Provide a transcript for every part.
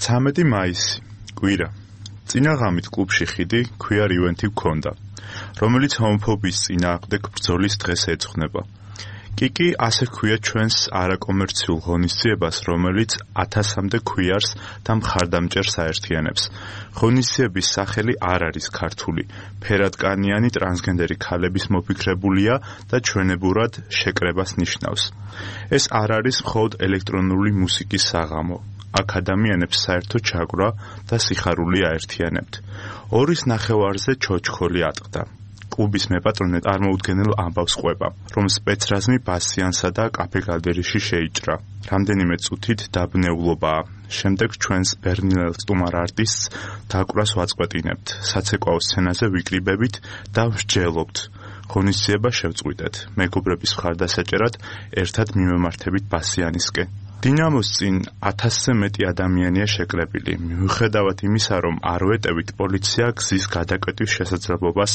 13 მაისი, კვირა. წინა ღამით კლუბში ხიდი queer event-ი გქონდა, რომელიც ჰომოფობიის წინააღმდეგ ბრძოლის დღეს ეძღვნება. კიკი ასე ქვია ჩვენს არაკომერციულ ღონისძიებას, რომელიც 1000-მდე queers და მხარდამჭერს აერთიანებს. ღონისძიების სახელი არ არის ქართული, ფერადკანიანი ტრანსგენდერი ქალების მოფიქრებულია და ჩვენებურად შეკრებას ნიშნავს. ეს არ არის მხოლოდ ელექტრონული მუსიკის საღამო. აქ ადამიანებს საერთო ჩაგვრა და სიხარული აერთიანებთ. 2:30-ზე ჩოჩქოლი ატყდა. კლუბის მეპატრონე წარმოუდგენელ ამბავს ყვება, რომ სპეცრაზმი ბასიანსა და კაფე გალდერიში შეიჭრა. რამდენიმე წუთით დაბნეულობაა. შემდეგ ჩვენს ბერნიელ სტუმარ არტისტს დაკვრას ვაწყვეტინებთ, საცეკვაო სცენაზე ვიკრიბებით და ვსჯელობთ. ღონისძიება შევწყვიტეთ. მეგობრების მხარდასაჭერად ერთად მიმემართებით ბასიანისკენ. დინამოს წინ 1000-ზე მეტი ადამიანია შეკრებილი. მიუხედავად იმისა, რომ არ ვეტევით, პოლიცია გზის გადაკვეთის შესაძლებლობას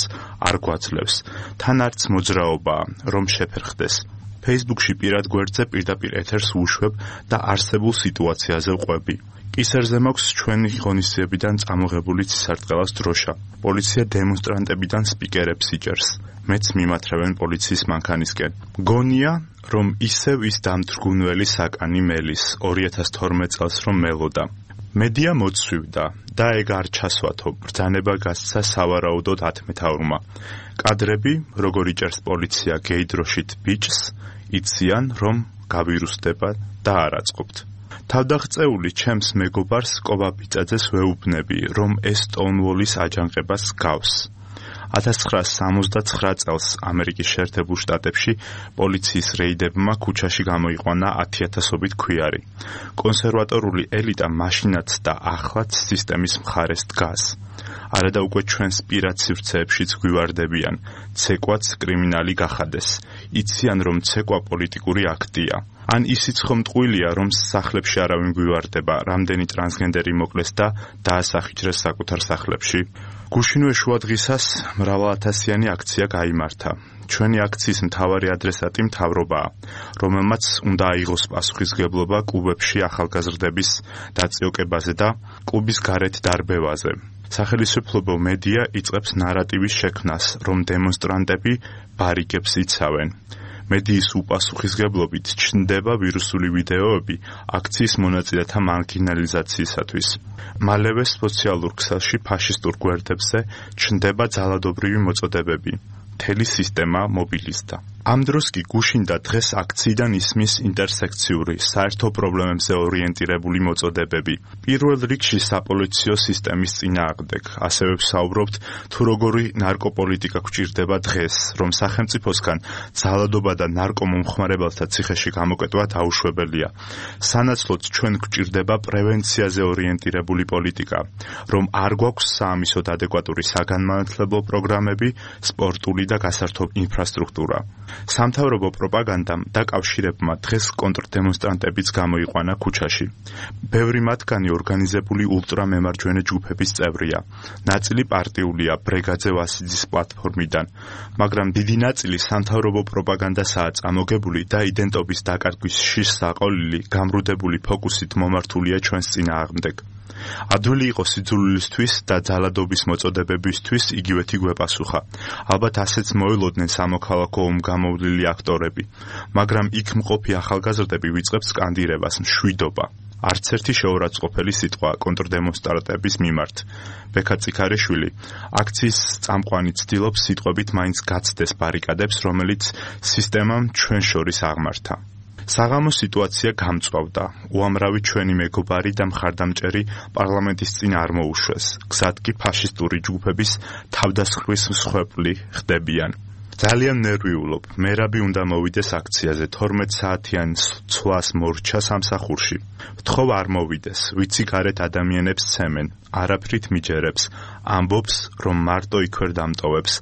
არ გვაძლევს. თან არც მოძრაობაა, რომ შეფერხდეს. Facebook-ში პირად გვერდზე პირდაპირ ეთერს ვუშვებ და არსებულ სიტუაციაზე ვყვები. კისერზე მაქვს ჩვენი ღონისძიებიდან წამოღებული ცისარტყელას დროშა. პოლიცია დემონსტრანტებიდან სპიკერებს იჭერს. მეც მიმათრევენ პოლიციის მანქანისკენ. გონია, რომ ისევ ის დამთრგუნველი საკანი მელის 2012 წელს რომ მელოდა. მედია მოცვივდა და ეგ არ ჩასვათო, ბრძანება გასცა სავარაუდოდ 10 მეთაურმა. კადრები, როგორ იჭერს პოლიცია გეიდროშით ბიჭს, იციან, რომ გავირუსდება და არ აწყობთ. თავდაღწეული ჩემს მეგობარს კობა ბიწაძეს ვეუბნები, რომ ეს სტონვოლის აჯანყებას გავს. 1979 წელს ამერიკის შეერთებულ შტატებში პოლიციის რეიდებმა ქუჩაში გამოიყვანა 10,000-ობით ქვიარი. კონსერვატორული ელიტა მაშინაც და ახლაც სისტემის მხარეს დგას. არადა უკვე ჩვენს პირად სივრცეებშიც გვივარდებიან, ცეკვაც კრიმინალი გახადეს. იციან, რომ ცეკვა პოლიტიკური აქტია. ან ისიც ხომ ტყუილია, რომ სახლებში არავინ გვივარდება, რამდენი ტრანსგენდერი მოკლეს და დაასახიჭრეს საკუთარ სახლებში. გუშინვე შუადღისას მრავალათასიანი აქცია გაიმართა. ჩვენი აქციის მთავარი ადრესატი მთავრობაა, რომელმაც უნდა აიღოს პასუხისმგებლობა კლუბებში ახალგაზრდების დაწიოკებაზე და კლუბის გარეთ დარბევაზე. სახელმწიფო მედია იწყებს ნარატივის შექმნას, რომ დემონსტრანტები ბარიკებს იცავენ. მედიის უპასუხისმგებლობით ჩნდება ვირუსული ვიდეოები აქციის მონაწილეთა მარგინალიზაციისათვის. მალევე სოციალურ ქსელში ფაშისტურ გვერდებზე ჩნდება ძალადობრივი მოწოდებები. მთელი სისტემა მობილიზდა. ამ დროს კი გუშინ და დღეს აქციიდან ისმის ინტერსექციური, საერთო პრობლემებზე ორიენტირებული მოწოდებები. პირველ რიგში საპოლიციო სისტემის წინააღმდეგ. ასევე ვსაუბრობთ, თუ როგორი ნარკოპოლიტიკა გვჭირდება დღეს, რომ სახელმწიფოსგან ძალადობა და ნარკომომხმარებელთა ციხეში გამოკეტვა დაუშვებელია. სანაცვლოდ ჩვენ გვჭირდება პრევენციაზე ორიენტირებული პოლიტიკა, რომ არ გვაქვს საამისოდ ადეკვატური საგანმანათლებლო პროგრამები, სპორტული და გასართობ ინფრასტრუქტურა. სამთავრობო პროპაგანდამ დაკავშირებმა დღეს კონტრდემონსტრანტებიც გამოიყვანა ქუჩაში. ბევრი მათგანი ორგანიზებული ულტრამემარჯვენე ჯგუფების წევრია. ნაწილი პარტიულია ბრეგაძე ვასიძის პლატფორმიდან, მაგრამ დიდი ნაწილი სამთავრობო პროპაგანდასაა წამოგებული და იდენტობის დაკარგვის შიშ საყოლილი გამრუდებული ფოკუსით მომართულია ჩვენს წინააღმდეგ. ადვილი იყო სიძულვილისთვის და ძალადობის მოწოდებებისთვის იგივეთი გვეპასუხა. ალბათ ასეც მოელოდნენ სამოქალაქო ომგამოვლილი აქტორები, მაგრამ იქ მყოფი ახალგაზრდები ვიწყებს სკანდირებას მშვიდობა. არც ერთი შეურაცხყოფელი სიტყვა კონტრდემონსტრანტების მიმართ. ბექა წიქარიშვილი აქციის წამყვანი ცდილობს სიტყვებით მაინც გაცდეს ბარიკადებს, რომელიც სისტემამ ჩვენ შორის აღმართა. საღამო სიტუაცია გამწვავდა. უამრავი ჩვენი მეგობარი და მხარდამჭერი პარლამენტის წინ არ მოუშვეს. გზად კი ფაშისტური ჯგუფების თავდასხმის მსხვერპლი ხდებიან. ძალიან ნერვიულობ. მერაბი უნდა მოვიდეს აქციაზე 12 საათიან ცვლას მორჩა სამსახურში. ვთხოვ არ მოვიდეს. ვიცი გარეთ ადამიანებს ცემენ. არაფრით მიჯერებს. ამბობს, რომ მარტო იქვე დამტოვებს.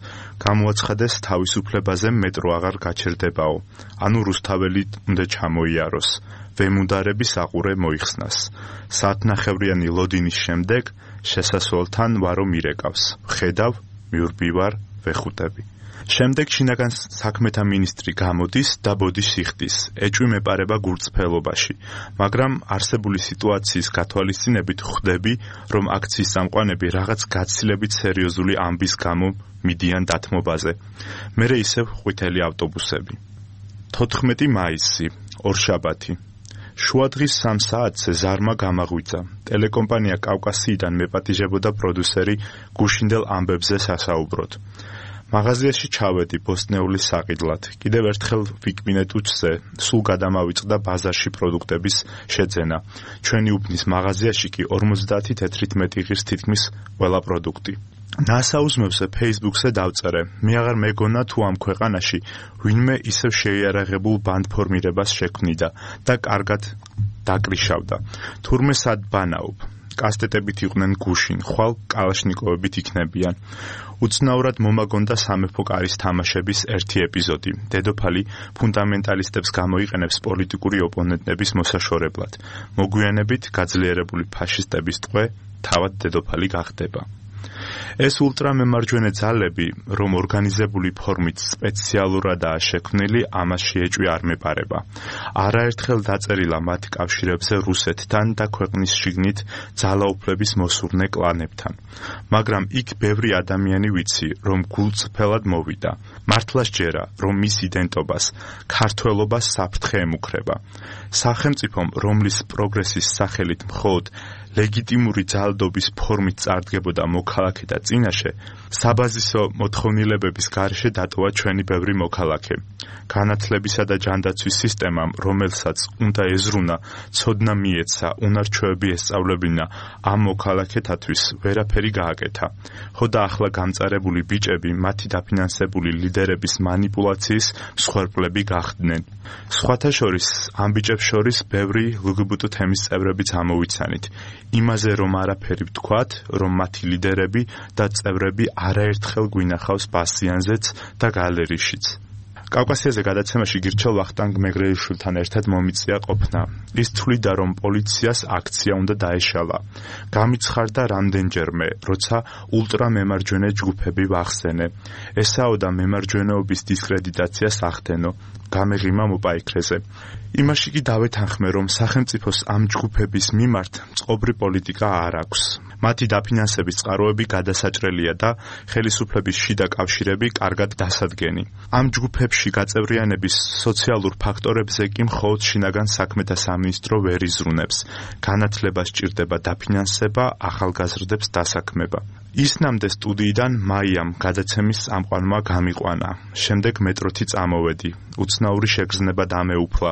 გამოაცხადეს თავისუფლებაზე მეტრო აღარ გაჩერდებაო. ანუ რუსთაველი უნდა ჩამოიაროს. ვემუნდარების აყურე მოიხსნას. საათნახევრიანი ლოდინის შემდეგ შესასვლელთან ვარო მირეკავს. ხედავ, მიურბივარ, ვეხუტები. შემდეგ შინაგან საქმეთა მინისტრი გამოდის და ბოდიშს იხდის, ეჭვი მეპარება გურწფელობაში, მაგრამ არსებული სიტუაციის გათვალისწინებით ხვდები, რომ აქციის წამყვანები რაღაც გაცილებით სერიოზული ამბის გამო მიდიან დათმობაზე. მერე ისევ ყვითელი ავტობუსები. 14 მაისი, ორშაბათი. შუადღის 3 საათზე ზარმა გამაღვიძა. ტელეკომპანია კავკასიიდან მეპატიჟებოდა პროდიუსერი გუშინდელ ამბებზე სასაუბროდ. მაღაზიაში ჩავედი ბოსტნეულის საყიდლად. კიდევ ერთხელ ვიკმინეთ უჩზე, სულ გადამავიწყდა ბაზარში პროდუქტების შეძენა. ჩვენი უბნის მაღაზიაში კი 50 თეთრით მეტი ღირს თითქმის ყველა პროდუქტი. ნასაუზმებზე Facebook-ზე დავწერე. მე აღარ მეგონა თუ ამ ქვეყანაში ვინმე ისევ შეიარაღებულ ბანდფორმირებას შექმნიდა და კარგად დაკრიშავდა. თურმე სად ბანაობ. კასტეტებით იყვნენ გუშინ, ხვალ კალაშნიკოვებით იქნებიან. უცნაურად მომაგონდა სამეფო კარის თამაშების ერთი ეპიზოდი. დედოფალი ფუნდამენტალისტებს გამოიყენებს პოლიტიკური ოპონენტების მოსაშორებლად. მოგვიანებით გაძლიერებული ფაშისტების ტყვე თავად დედოფალი გახდება. ეს ულტრამემარჯვენე ძალები, რომ ორგანიზებული ფორმით სპეციალურადაა შექმნილი, ამაში ეჭვი არ მეპარება. არაერთხელ დაწერილა მათ კავშირებზე რუსეთთან და ქვეყნის შიგნით ძალაუფლების მოსურნე კლანებთან. მაგრამ იქ ბევრი ადამიანი ვიცი, რომ გულწრფელად მოვიდა. მართლა სჯერა, რომ მის იდენტობას, ქართველობას საფრთხე ემუქრება. სახელმწიფომ, რომლის პროგრესის სახელით მხოლოდ ლეგიტიმური ძალადობის ფორმით წარდგებოდა მოქალაქეთა წინაშე, საბაზისო მოთხოვნილებების გარეშე დატოვა ჩვენი ბევრი მოქალაქე. განათლებისა და ჯანდაცვის სისტემამ, რომელსაც უნდა ეზრუნა, ცოდნა მიეცა, უნარჩვევები ესწავლებინა, ამ მოქალაქეთათვის ვერაფერი გააკეთა. ხო და ახლა გამწარებული ბიჭები მათი დაფინანსებული ლიდერების მანიპულაციის მსხვერპლები გახდნენ. სხვათა შორის, ამ ბიჭებს შორის ბევრი LGBT თემის წევრებიც ამოვიცანით. იმაზე რომ არაფერი ვთქვათ, რომ მათი ლიდერები და წევრები არაერთხელ გვინახავს ბასიანზეც და გალერიშიც. კავკასიაზე გადაცემაში გირჩელ ვახტანგ მეგრელიშვილთან ერთად მომიწია ყოფნა. ის თვლიდა, რომ პოლიციას აქცია უნდა დაეშალა. გამიცხარდა რამდენჯერმე, როცა ულტრამემარჯვენე ჯგუფები ვახსენე. ესაოდა მემარჯვენეობის დისკრედიტაციას ახდენო. გამეღიმა მოპაიქრეზე. იმაში კი დავეთანხმე, რომ სახელმწიფოს ამ ჯგუფების მიმართ წყობრი პოლიტიკა არ აქვს. მათი დაფინანსების წყაროები გადასაჭრელია და ხელისუფლების შიდა კავშირები კარგად დასადგენი. ამ ჯგუფებში გაწევრიანების სოციალურ ფაქტორებზე კი მხოლოდ შინაგან საქმეთა სამინისტრო ვერ იზრუნებს. განათლება სჭირდება დაფინანსება, ახალგაზრდებს დასაქმება. ისნამდე სტუდიიდან მაიამ გადაცემის წამყვანმა გამიყვანა. შემდეგ მეტროთი წამოვედი. უცნაური შეგრძნება დამეუფლა.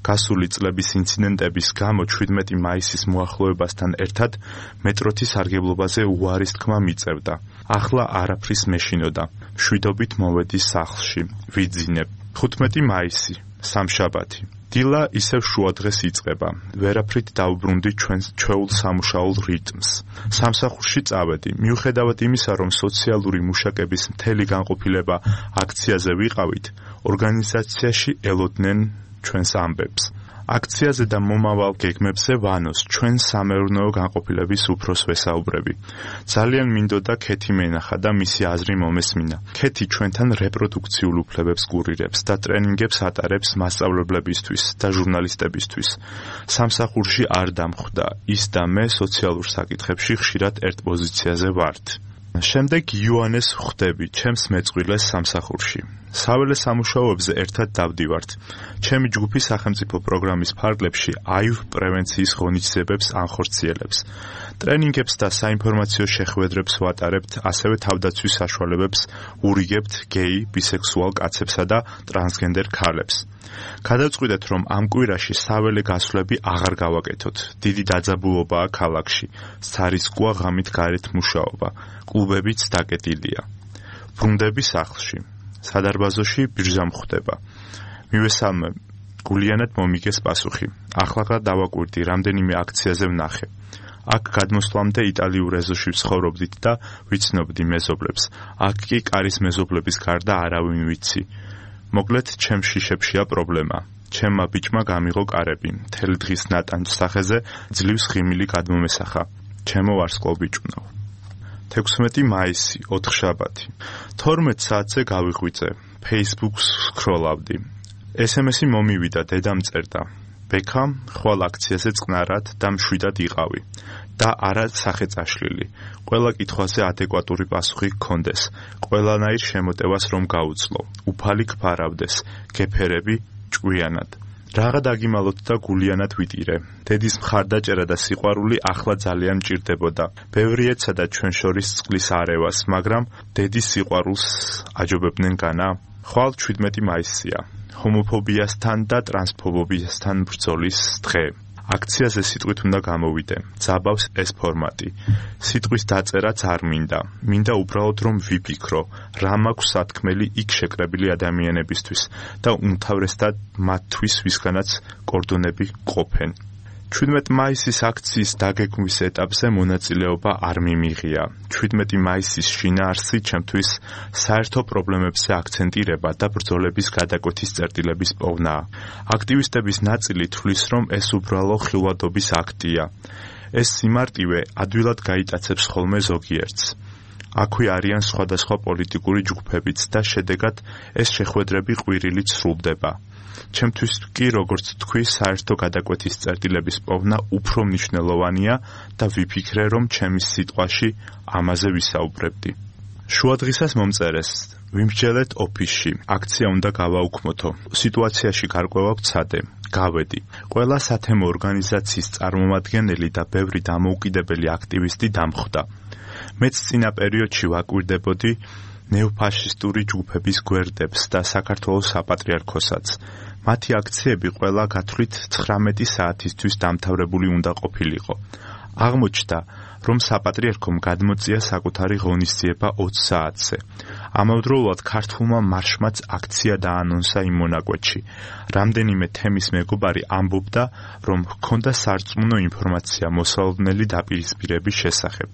გასული წლების ინციდენტების გამო 17 მაისის მოახლოებასთან ერთად მეტროთი სარგებლობაზე უარის თქმა მიწევდა. ახლა არაფრის მეშინოდა. მშვიდობით მოვედი სახლში. ვიძინებ. 15 მაისი, სამშაბათი. დილა ისევ შუადღეს იწყება. ვერაფრით დავუბრუნდი ჩვეულ სამუშაო რიტმს. სამსახურში წავედი. მიუხედავად იმისა, რომ სოციალური მუშაკების მთელი განყოფილება აქციაზე ვიყავით, ორგანიზაციაში ელოდნენ ჩვენს ამბებს. აქციაზე და მომავალ გეგმებზე ვანოს ჩვენ სამეურნეო განყოფილების უფროს ვესაუბრები. ძალიან მინდოდა ქეთი მენახა და მისი აზრი მომესმინა. ქეთი ჩვენთან რეპროდუქციულ უფლებებს გურირებს და ტრენინგებს ატარებს მასწავლებლებისთვის და ჟურნალისტებისთვის. სამსახურში არ დამხვდა. ის და მე სოციალურ საკითხებში ხშირად ერთ პოზიციაზე ვართ. შემდეგ იოანეს ხვდები ჩემს მეწყვილეს სამსახურში. საველე სამუშაოებზე ერთად დავდივართ. ჩემი ჯგუფი სახელმწიფო პროგრამის ფარგლებში აივ პრევენციის ღონისძიებებს ანხორციელებს. ტრენინგებს და საინფორმაციო შეხვედრებს ვატარებთ, ასევე თავდაცვის საშუალებებს ურიგებთ გეი, ბისექსუალ კაცებსა და ტრანსგენდერ ქალებს. გადავწყვიტეთ, რომ ამ კვირაში საველე გასვლები აღარ გავაკეთოთ. დიდი დაძაბულობაა ქალაქში. სარისკოა ღამით გარეთ მუშაობა. კლუბებიც დაკეტილია. ბრუნდები სახლში. სადარბაზოში ბიržა მხვდება. მივესალმე, გულიანად მომიგეს პასუხი. ახლა დავაკვირდი, რამდენიმე აქციაზე ვნახე. აქ გადმოსვლამდე იტალიურ ეზოში ვცხოვრობდით და ვიცნობდი მეზობლებს. აქ კი კარის მეზობლების გარდა არავინ ვიცი. მოკლედ, ჩემს შიშებშია პრობლემა. ჩემმა ბიჭმა გამიღო კარები. მთელი დღის ნატანჯ სახეზე ძლივს ღიმილი გადმომესახა. ჩემო ვარსკვლავ ბიჭუნო. 16 მაისი, 4 შაბათი. 12 საათზე გავიღვიძე. Facebook-ს სკროლავდი. SMS-ი მომივიდა, დედამ წერდა. ბექა, ხვალ აქციაზე წყნარად და მშვიდად იყავი. და არა სახეწაშლილი. ყველა კითხვაზე ადეკვატური პასუხი გქონდეს. ყველანაირ შემოტევას რომ გაუძლო. უფალი გფარავდეს. გეფერები ჭკვიანად. რაღა დაგიმალოთ და გულიანად ვიტირე. დედის მხარდაჭერა და სიყვარული ახლა ძალიან მჭირდებოდა. ბევრი ეცადა ჩვენ შორის წყლის არევას, მაგრამ დედის სიყვარულს აჯობებდნენ განა? ხვალ 17 მაისია. ჰომოფობიასთან და ტრანსფობიასთან ბრძოლის დღე. აქციაზე სიტყვით უნდა გამოვიდე. ძაბავს ეს ფორმატი. სიტყვის დაწერაც არ მინდა. მინდა უბრალოდ რომ ვიფიქრო, რა მაქვს სათქმელი იქ შეკრებილი ადამიანებისთვის და უმთავრესად მათთვის, ვისგანაც კორდონები ყოფენ. 17 მაისის აქციის დაგეგმვის ეტაპზე მონაწილეობა არ მიმიღია. 17 მაისის შინაარსი ჩემთვის საერთო პრობლემებზე აქცენტირება და ბრძოლების გადაკვეთის წერტილების პოვნაა. აქტივისტების ნაწილი თვლის, რომ ეს უბრალო ხილვადობის აქტია. ეს სიმარტივე ადვილად გაიტაცებს ხოლმე ზოგიერთს. აქვე არიან სხვადასხვა პოლიტიკური ჯგუფებიც და შედეგად ეს შეხვედრები ყვირილით სრულდება. ჩემთვის კი, როგორც თქვი, საერთო გადაკვეთის წერტილების პოვნა უფრო მნიშვნელოვანია და ვიფიქრე, რომ ჩემის სიტყვაში ამაზე ვისაუბრებდი. შუადღისას მომწერეს. ვიმსჯელეთ ოფისში. აქცია უნდა გავაუქმოთო. სიტუაციაში გარკვევა ვცადე. გავედი. ყველა სათემო ორგანიზაციის წარმომადგენელი და ბევრი დამოუკიდებელი აქტივისტი დამხვდა. მეც წინა პერიოდში ვაკვირდებოდი ნეოფაშისტური ჯგუფების გვერდებს და საქართველოს საპატრიარქოსაც. მათი აქციები ყველა გათვლით 19 საათისთვის დამთავრებული უნდა ყოფილიყო. აღმოჩნდა, რომ საპატრიარქომ გადმოწია საკუთარი ღონისძიება 20 საათზე. ამავდროულად ქართულმა მარშმაც აქცია დაანონსა იმ მონაკვეთში. რამდენიმე თემის მეგობარი ამბობდა, რომ ჰქონდა სარწმუნო ინფორმაცია მოსალოდნელი დაპირისპირების შესახებ.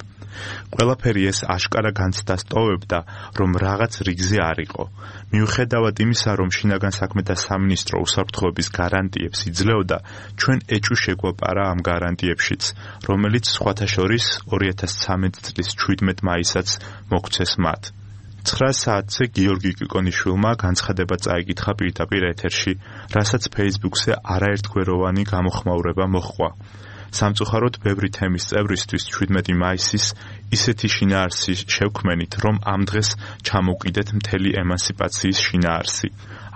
ყველაფერი ეს აშკარა განცდა სტოვებდა, რომ რაღაც რიგზე არ იყო. მიუხედავად იმისა, რომ შინაგან საქმეთა სამინისტრო უსაფრთხოების გარანტიებს იძლეოდა, ჩვენ ეჭვი შეგვაპარა ამ გარანტიებშიც, რომელიც სხვათა შორის 2013 წლის 17 მაისაც მოგვცეს მათ. 9 საათზე გიორგი კიკონიშვილმა განცხადება წაიკითხა პირდაპირ ეთერში, რასაც Facebook-ზე არაერთგვეროვანი გამოხმაურება მოჰყვა. სამწუხაროდ ბევრი თემის წევრისთვის 17 მაისის ისეთი შინაარსი შევქმენით, რომ ამ დღეს ჩამოვყიდეთ მთელი ემანსიპაციის შინაარსი.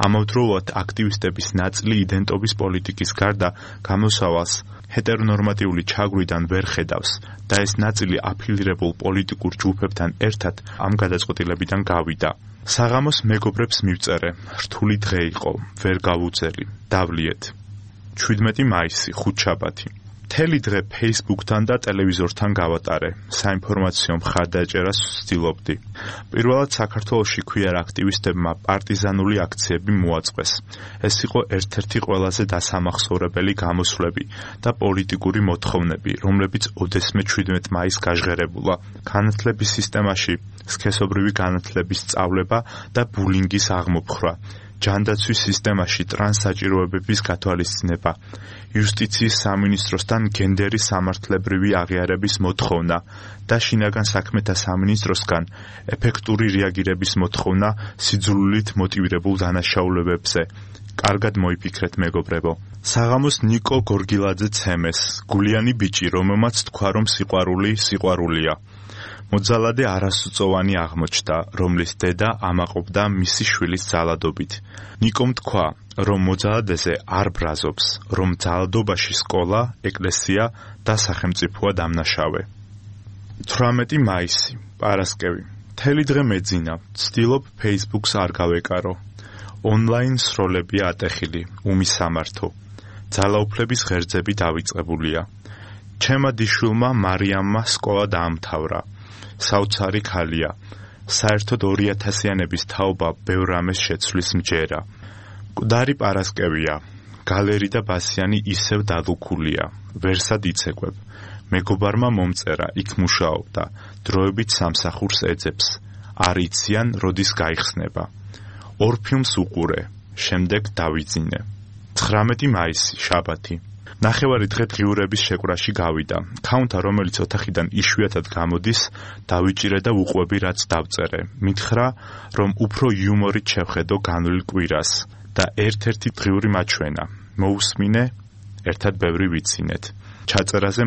ამავდროულად აქტივისტების ნაწილი იდენტობის პოლიტიკის გარდა გამოსავალს ჰეტერონორმატიული ჩაგვიდან ვერ ხედავს და ეს ნაწილი აფილირებულ პოლიტიკურ ჯგუფებთან ერთად ამ გადაწყვეტილებიდან გავიდა. საღამოს მეგობრებს მივწერე. რთული დღე იყო, ვერ გავუძელი. დავლიეთ. 17 მაისი, ხუთშაბათი. მთელი დღე Facebook-თან და ტელევიზორთან გავატარე. საინფორმაციო მხარდაჭერას ვცდილობდი. პირველად საქართველოში ქუიარ აქტივისტებმა პარტიზანული აქციები მოაწყვეს. ეს იყო ერთ-ერთი ყველაზე დასამახსოვრებელი გამოსვლები და პოლიტიკური მოთხოვნები, რომლებიც ოდესმე 17 მაისს გაჟღერებულა. განათლების სისტემაში სქესობრივი განათლების სწავლება და ბულინგის აღმოფხვრა. ჯანდაცვის სისტემაში ტრანსსაჭიროებების გათვალისწინება, იუსტიციის სამინისტროსთან გენდერის სამართლებრივი აღიარების მოთხოვნა და შინაგან საქმეთა სამინისტროსგან ეფექტური რეაგირების მოთხოვნა სიძულვილით მოტივირებულ დანაშაულებებზე. კარგად მოიფიქრეთ, მეგობრებო. საღამოს ნიკო გორგილაძე ცემეს, გულიანი ბიჭი, რომელმაც თქვა, რომ სიყვარულია. მოძალადე არასწოვანი აღმოჩნდა, რომლის დედა ამაყობდა მისი შვილის ძალადობით. ნიკომ თქვა, რომ მოძალადეზე არ ბრაზობს, რომ ძალადობაში სკოლა, ეკლესია და სახელმწიფოა დამნაშავე. 18 მაისი, პარასკევი. მთელი დღე მეძინა, ვცდილობ Facebook-ს არ გავეკარო. ონლაინ სროლებია ატეხილი, უმისამართო. ძალაუფლების ღერძები დავიწყებულია. ჩემმა დიშვილმა მარიამმა სკოლა დაამთავრა. საოცარი ქალია. საერთოდ 2000-იანების თაობა ბევრ რამეს შეცვლის მჯერა. მკვდარი პარასკევია. გალერი და ბასიანი ისევ დადუქულია. ვერსად იცეკვებ. მეგობარმა მომწერა, იქ მუშაობდა. დროებით სამსახურს ეძებს. არ იციან, როდის გაიხსნება. ორ ფილმს უყურე. შემდეგ დავიძინე. 19 მაისი, შაბათი. ნახევარი დღე დღიურების შეკვრაში გავიდა. ქაუნთა, რომელიც ოთახიდან იშვიათად გამოდის, დავიჭირე და უყვები, რაც დავწერე. მითხრა, რომ უფრო იუმორით შევხედო განვლილ კვირას და ერთ-ერთი დღიური მაჩვენა. მოусმინე, ერთად ბევრი ვიცინეთ. ჩაწერაზე